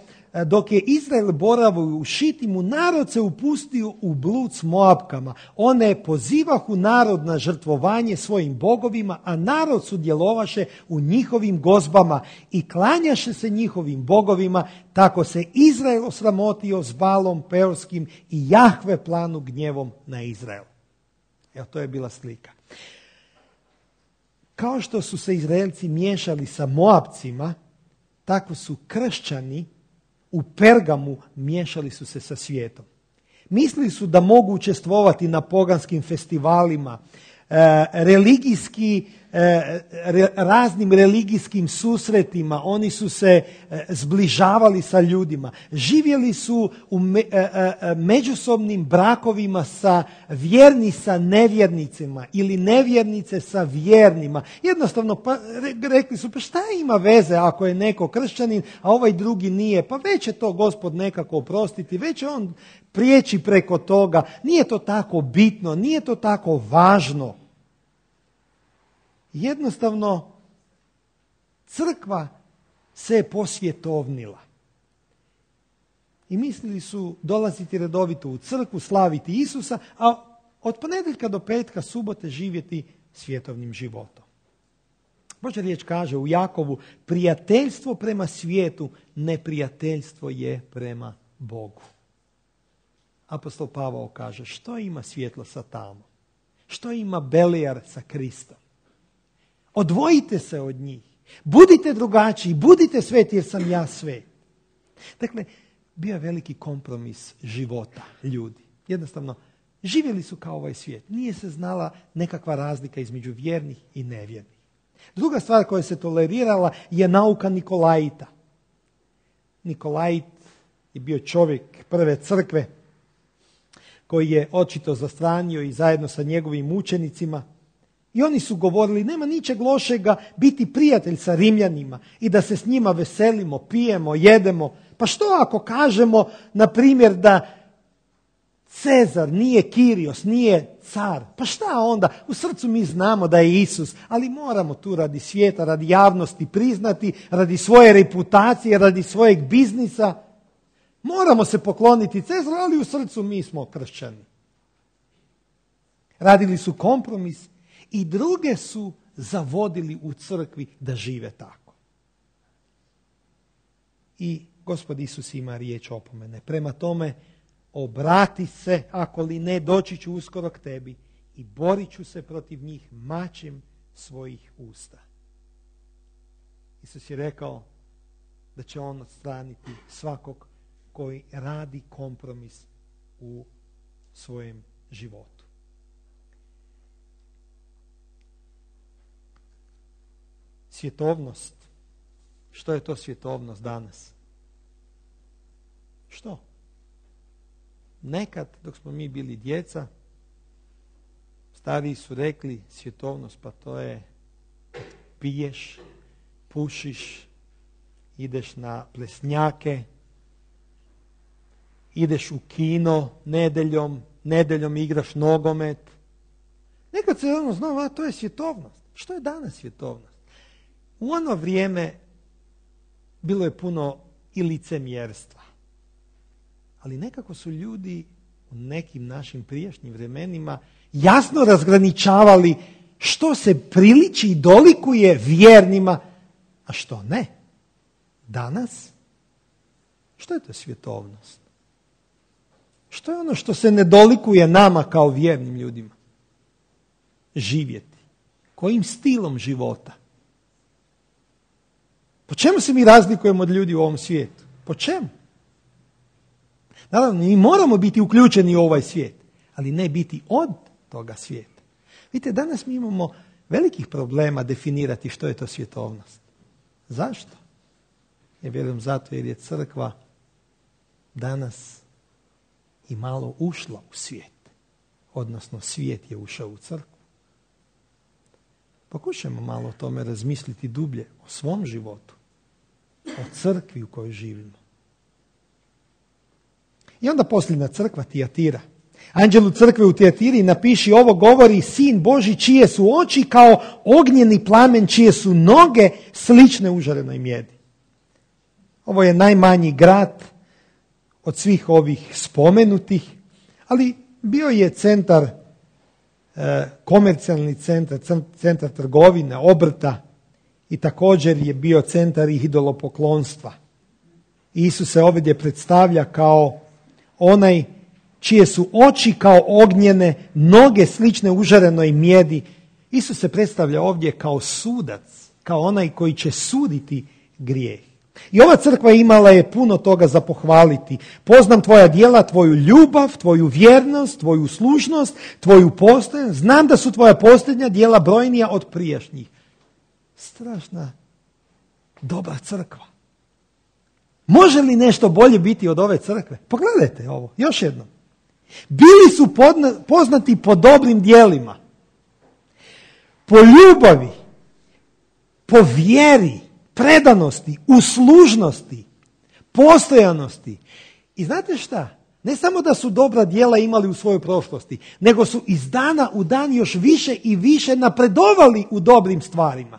[SPEAKER 1] dok je Izrael boravio u Šitimu, narod se upustio u blud s Moabkama. One pozivahu narod na žrtvovanje svojim bogovima, a narod sudjelovaše u njihovim gozbama i klanjaše se njihovim bogovima. Tako se Izrael osramotio s Balom Peorskim i Jahve planu gnjevom na Izrael. Evo, to je bila slika. Kao što su se Izraelci miješali sa Moabcima, tako su kršćani u Pergamu miješali su se sa svijetom. Mislili su da mogu učestvovati na poganskim festivalima, e, religijski, e, re, raznim religijskim susretima. Oni su se e, zbližavali sa ljudima. Živjeli su u me, e, e, međusobnim brakovima sa vjerni sa nevjernicima ili nevjernice sa vjernima. Jednostavno pa, re, rekli su, pa šta ima veze ako je neko kršćanin, a ovaj drugi nije? Pa već će to Gospod nekako oprostiti, već će on prijeći preko toga. Nije to tako bitno, nije to tako važno. Jednostavno, crkva se je posvjetovnila. I mislili su dolaziti redovito u crkvu, slaviti Isusa, a od ponedjeljka do petka, subote živjeti svjetovnim životom. Božja riječ kaže u Jakovu, prijateljstvo prema svijetu, neprijateljstvo je prema Bogu. Apostol Pavao kaže, što ima svjetlo sa tamo? Što ima Belijar sa Kristom? Odvojite se od njih. Budite drugačiji, budite sveti jer sam ja svet. Dakle, bio je veliki kompromis života ljudi. Jednostavno, živjeli su kao ovaj svijet. Nije se znala nekakva razlika između vjernih i nevjernih. Druga stvar koja se tolerirala je nauka Nikolajita. Nikolajit je bio čovjek prve crkve koji je očito zastranio i zajedno sa njegovim učenicima. I oni su govorili, nema ničeg lošega biti prijatelj sa Rimljanima i da se s njima veselimo, pijemo, jedemo. Pa što ako kažemo, na primjer, da Cezar nije Kirios, nije car? Pa šta onda? U srcu mi znamo da je Isus, ali moramo tu radi svijeta, radi javnosti priznati, radi svoje reputacije, radi svojeg biznisa. Moramo se pokloniti Cezaru, ali u srcu mi smo kršćani. Radili su kompromis i druge su zavodili u crkvi da žive tako. I Gospod Isus ima riječ opomene. Prema tome, obrati se, ako li ne, doći ću uskoro k tebi i borit ću se protiv njih mačem svojih usta. Isus je rekao da će on odstraniti svakog koji radi kompromis u svojem životu. Svjetovnost. Što je to svjetovnost danas? Što? Nekad, dok smo mi bili djeca, stariji su rekli svjetovnost, pa to je piješ, pušiš, ideš na plesnjake, ideš u kino nedeljom, nedeljom igraš nogomet. Nekad se ono znao, a to je svjetovnost. Što je danas svjetovnost? U ono vrijeme bilo je puno i licemjerstva. Ali nekako su ljudi u nekim našim prijašnjim vremenima jasno razgraničavali što se priliči i dolikuje vjernima, a što ne. Danas, što je to svjetovnost? Što je ono što se ne dolikuje nama kao vjernim ljudima? Živjeti. Kojim stilom života? Po čemu se mi razlikujemo od ljudi u ovom svijetu? Po čemu? Naravno, mi moramo biti uključeni u ovaj svijet, ali ne biti od toga svijeta. Vidite, danas mi imamo velikih problema definirati što je to svjetovnost. Zašto? Ja vjerujem zato jer je crkva danas i malo ušla u svijet. Odnosno, svijet je ušao u crkvu. Pokušajmo malo o tome razmisliti dublje, o svom životu, o crkvi u kojoj živimo. I onda posljedna crkva, Tijatira. Anđelu crkve u Tijatiri napiši ovo govori Sin Božji čije su oči kao ognjeni plamen, čije su noge slične užarenoj mjedi. Ovo je najmanji grad od svih ovih spomenutih, ali bio je centar, e, komercijalni centar, centar trgovine, obrta i također je bio centar idolopoklonstva. Isus se ovdje predstavlja kao onaj čije su oči kao ognjene, noge slične užarenoj mjedi. Isus se predstavlja ovdje kao sudac, kao onaj koji će suditi grijeh. I ova crkva imala je puno toga za pohvaliti. Poznam tvoja djela, tvoju ljubav, tvoju vjernost, tvoju slušnost, tvoju postojanost. Znam da su tvoja posljednja djela brojnija od prijašnjih. Strašna, dobra crkva. Može li nešto bolje biti od ove crkve? Pogledajte ovo, još jednom. Bili su podna, poznati po dobrim djelima, po ljubavi, po vjeri, predanosti, uslužnosti, postojanosti. I znate šta? Ne samo da su dobra djela imali u svojoj prošlosti, nego su iz dana u dan još više i više napredovali u dobrim stvarima.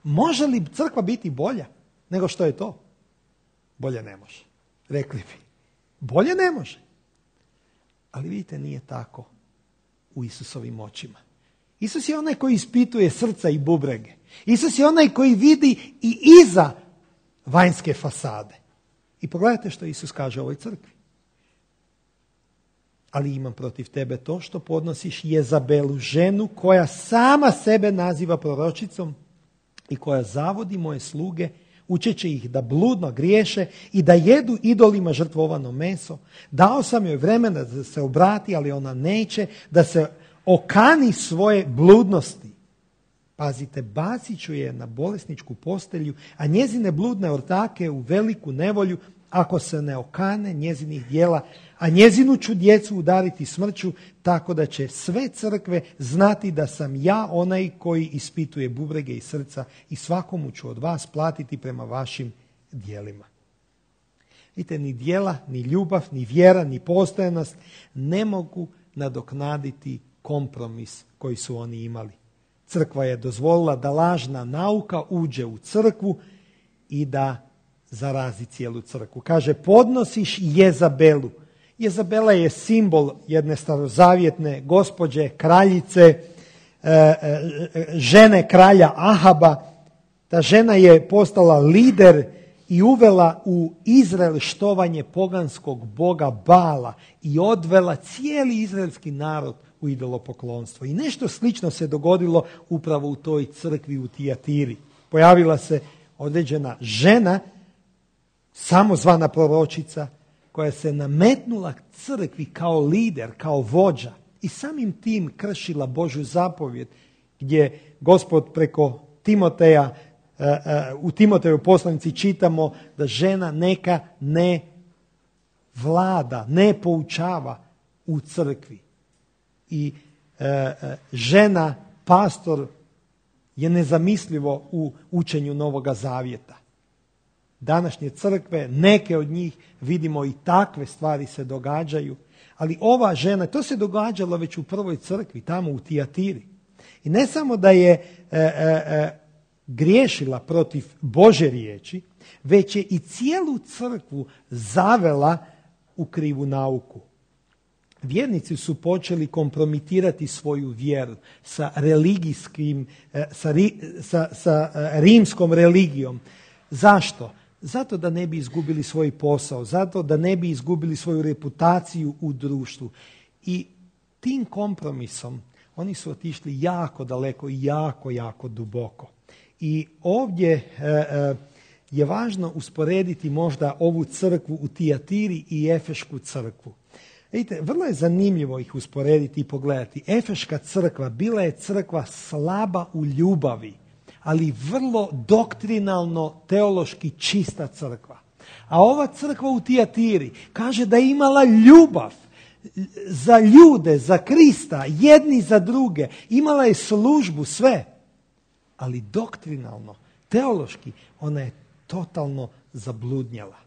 [SPEAKER 1] Može li crkva biti bolja nego što je to? Bolje ne može. Rekli bi. Bolje ne može. Ali vidite, nije tako u Isusovim očima. Isus je onaj koji ispituje srca i bubrege. Isus je onaj koji vidi i iza vanjske fasade. I pogledajte što Isus kaže o ovoj crkvi. Ali imam protiv tebe to što podnosiš Jezabelu, ženu koja sama sebe naziva proročicom i koja zavodi moje sluge, učeći ih da bludno griješe i da jedu idolima žrtvovano meso. Dao sam joj vremena da se obrati, ali ona neće, da se okani svoje bludnosti. Pazite, bacit ću je na bolesničku postelju, a njezine bludne ortake u veliku nevolju, ako se ne okane njezinih djela, a njezinu ću djecu udariti smrću, tako da će sve crkve znati da sam ja onaj koji ispituje bubrege i srca i svakomu ću od vas platiti prema vašim djelima. Vidite, ni djela, ni ljubav, ni vjera, ni postojanost ne mogu nadoknaditi kompromis koji su oni imali. Crkva je dozvolila da lažna nauka uđe u crkvu i da zarazi cijelu crkvu. Kaže, podnosiš Jezabelu. Jezabela je simbol jedne starozavjetne gospođe, kraljice, žene kralja Ahaba. Ta žena je postala lider i uvela u Izrael štovanje poganskog boga Bala i odvela cijeli izraelski narod u idolopoklonstvo. I nešto slično se dogodilo upravo u toj crkvi u Tijatiri. Pojavila se određena žena, samozvana proročica, koja se nametnula crkvi kao lider, kao vođa i samim tim kršila Božju zapovjed gdje Gospod preko Timoteja, u Timotejevoj poslanici čitamo da žena neka ne vlada, ne poučava u crkvi. I žena, pastor, je nezamislivo u učenju Novoga Zavjeta. Današnje crkve, neke od njih, vidimo i takve stvari se događaju, ali ova žena, to se događalo već u prvoj crkvi, tamo u Tijatiri. I ne samo da je e, e, griješila protiv Božje riječi, već je i cijelu crkvu zavela u krivu nauku. Vjernici su počeli kompromitirati svoju vjeru sa religijskim, sa, sa, sa rimskom religijom. Zašto? Zato da ne bi izgubili svoj posao, zato da ne bi izgubili svoju reputaciju u društvu. I tim kompromisom oni su otišli jako daleko i jako, jako duboko. I ovdje e, e, je važno usporediti možda ovu crkvu u Tijatiri i Efešku crkvu. Vidite, vrlo je zanimljivo ih usporediti i pogledati. Efeška crkva bila je crkva slaba u ljubavi, ali vrlo doktrinalno, teološki čista crkva. A ova crkva u Tijatiri kaže da je imala ljubav za ljude, za Krista, jedni za druge. Imala je službu, sve. Ali doktrinalno, teološki, ona je totalno zabludnjala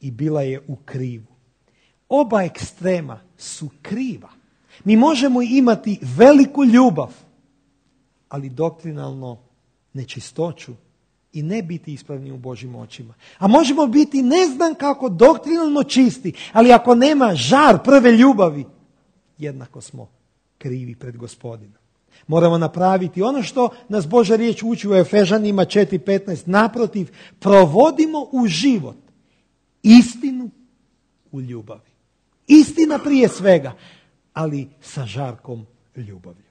[SPEAKER 1] i bila je u krivu. Oba ekstrema su kriva. Mi možemo imati veliku ljubav, ali doktrinalno nečistoću i ne biti ispravni u Božjim očima. A možemo biti ne znam kako doktrinalno čisti, ali ako nema žar prve ljubavi, jednako smo krivi pred Gospodinom. Moramo napraviti ono što nas Božja riječ uči u Efežanima četiri petnaest. Naprotiv, provodimo u život istinu u ljubavi. Istina prije svega, ali sa žarkom ljubavlju.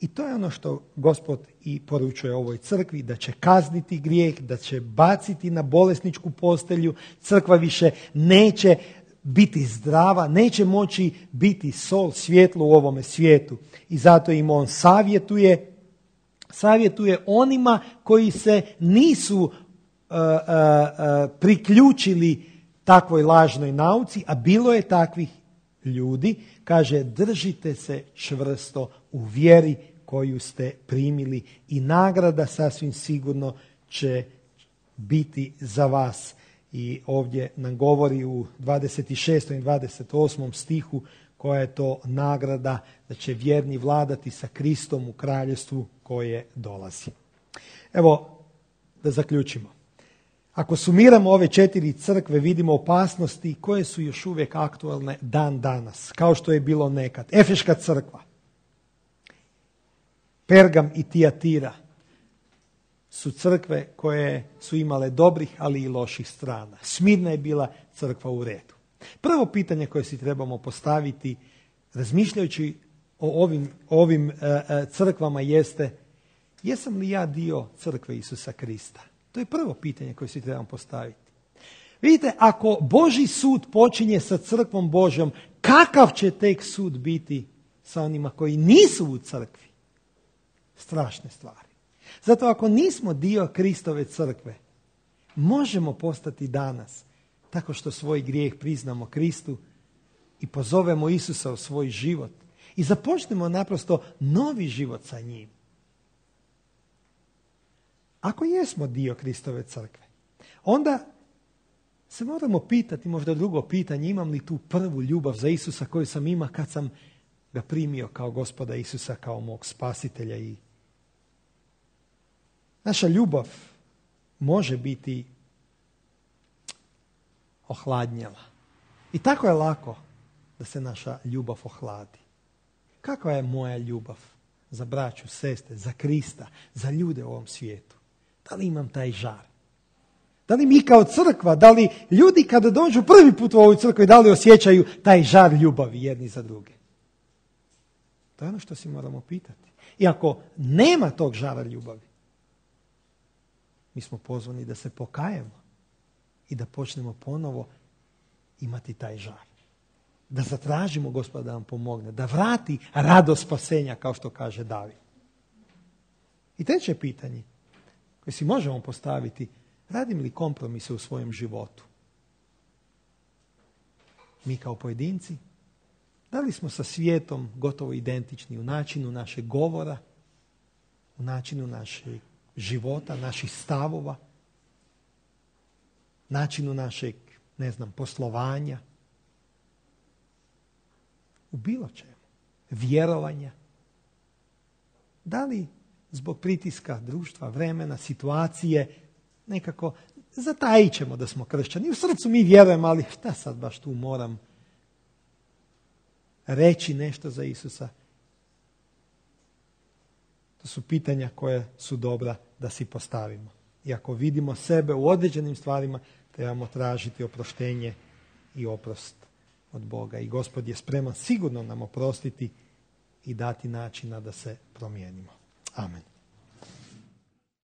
[SPEAKER 1] I to je ono što Gospod i poručuje ovoj crkvi, da će kazniti grijeh, da će baciti na bolesničku postelju. Crkva više neće biti zdrava, neće moći biti sol, svjetlo u ovome svijetu. I zato im on savjetuje, savjetuje onima koji se nisu uh, uh, uh, priključili takvoj lažnoj nauci, a bilo je takvih ljudi, kaže, držite se čvrsto u vjeri koju ste primili i nagrada sasvim sigurno će biti za vas. I ovdje nam govori u dvadeset šestom i dvadeset osmom stihu koja je to nagrada da će vjerni vladati sa Kristom u kraljevstvu koje dolazi. Evo, da zaključimo. Ako sumiramo ove četiri crkve, vidimo opasnosti koje su još uvijek aktualne dan danas, kao što je bilo nekad. Efeška crkva, Pergam i Tijatira su crkve koje su imale dobrih, ali i loših strana. Smirna je bila crkva u redu. Prvo pitanje koje si trebamo postaviti, razmišljajući o ovim, ovim uh, crkvama, jeste: jesam li ja dio crkve Isusa Krista? To je prvo pitanje koje si trebamo postaviti. Vidite, ako Božji sud počinje sa crkvom Božjom, kakav će tek sud biti sa onima koji nisu u crkvi? Strašne stvari. Zato ako nismo dio Kristove crkve, možemo postati danas tako što svoj grijeh priznamo Kristu i pozovemo Isusa u svoj život i započnemo naprosto novi život sa njim. Ako jesmo dio Kristove crkve, onda se moramo pitati, možda drugo pitanje, imam li tu prvu ljubav za Isusa koju sam imao kad sam ga primio kao Gospoda Isusa, kao mog spasitelja. I naša ljubav može biti ohladnjela. I tako je lako da se naša ljubav ohladi. Kakva je moja ljubav za braću, sestre, za Krista, za ljude u ovom svijetu? Da li imam taj žar? Da li mi kao crkva, da li ljudi kada dođu prvi put u ovu crkvu, da li osjećaju taj žar ljubavi jedni za druge? To je ono što si moramo pitati. I ako nema tog žara ljubavi, mi smo pozvani da se pokajemo i da počnemo ponovo imati taj žar. Da zatražimo Gospoda da nam pomogne, da vrati radost spasenja, kao što kaže David. I treće pitanje koje si možemo postaviti: radim li kompromise u svojem životu? Mi kao pojedinci, da li smo sa svijetom gotovo identični u načinu našeg govora, u načinu našeg života, naših stavova, načinu našeg, ne znam, poslovanja, u bilo čemu, vjerovanja? Da li zbog pritiska društva, vremena, situacije, nekako zatajit ćemo da smo kršćani? U srcu mi vjerujemo, ali šta sad baš tu moram reći nešto za Isusa? To su pitanja koje su dobra da si postavimo. I ako vidimo sebe u određenim stvarima, trebamo tražiti oproštenje i oprost od Boga. I Gospod je spreman sigurno nam oprostiti i dati načina da se promijenimo. Amen.